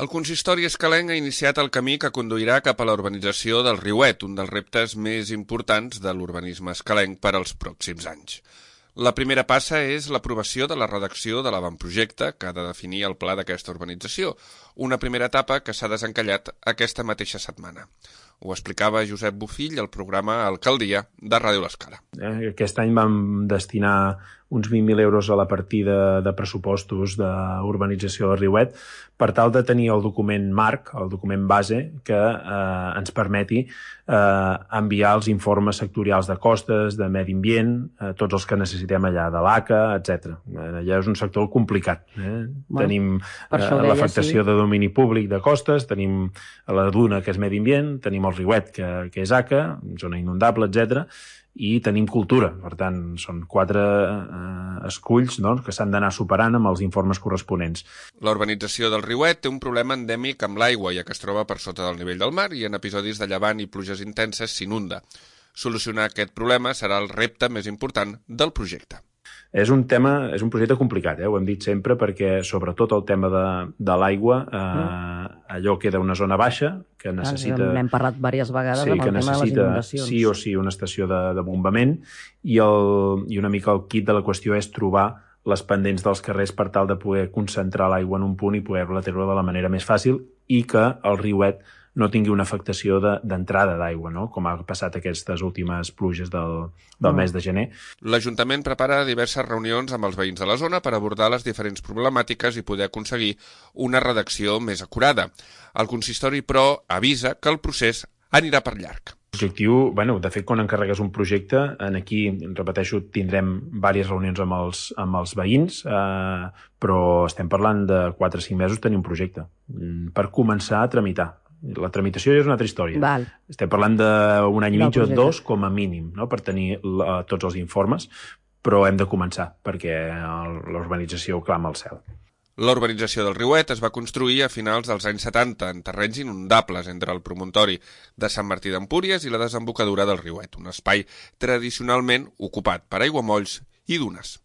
El consistori escalenc ha iniciat el camí que conduirà cap a la urbanització del Riuet, un dels reptes més importants de l'urbanisme escalenc per als pròxims anys. La primera passa és l'aprovació de la redacció de l'avantprojecte que ha de definir el pla d'aquesta urbanització, una primera etapa que s'ha desencallat aquesta mateixa setmana. Ho explicava Josep Bofill al programa Alcaldia de Ràdio L'Escala. Aquest any vam destinar uns 20.000 euros a la partida de pressupostos d'urbanització del Riuet per tal de tenir el document marc, el document base, que ens permeti enviar els informes sectorials de costes, de medi ambient, tots els que necessitem allà, de l'ACA, etc. Allà és un sector complicat. Tenim l'afectació de domini públic de costes, tenim la Duna, que és medi ambient, tenim el Riuet, que és ACA, zona inundable, etc. I tenim cultura. Per tant, són 4 esculls que s'han d'anar superant amb els informes corresponents. La urbanització del Riuet té un problema endèmic amb l'aigua, ja que es troba per sota del nivell del mar i en episodis de llevant i pluges intenses s'inunda. Solucionar aquest problema serà el repte més important del projecte. És un projecte complicat, ho hem dit sempre, perquè sobretot el tema de l'aigua, allò queda una zona baixa que necessita... N'hem parlat diverses vegades amb el tema de les inundacions. Sí o sí una estació de bombament i una mica el quid de la qüestió és trobar les pendents dels carrers per tal de poder concentrar l'aigua en un punt i poder-la treure de la manera més fàcil i que el Riuet no tingui una afectació d'entrada d'aigua, com ha passat aquestes últimes pluges del mes de gener. L'Ajuntament prepara diverses reunions amb els veïns de la zona per abordar les diferents problemàtiques i poder aconseguir una redacció més acurada. El consistori, però, avisa que el procés anirà per llarg. L'objectiu, de fet, quan encarregues un projecte, aquí, repeteixo, tindrem diverses reunions amb els veïns, però estem parlant de 4 o 5 mesos tenir un projecte per començar a tramitar. La tramitació és una altra història. Val. Estem parlant d'un any i mig o 2 com a mínim, per tenir tots els informes, però hem de començar perquè l'urbanització clama al cel. La urbanització del Riuet es va construir a finals dels anys 70 en terrenys inundables entre el promontori de Sant Martí d'Empúries i la desembocadura del Riuet, un espai tradicionalment ocupat per aiguamolls i dunes.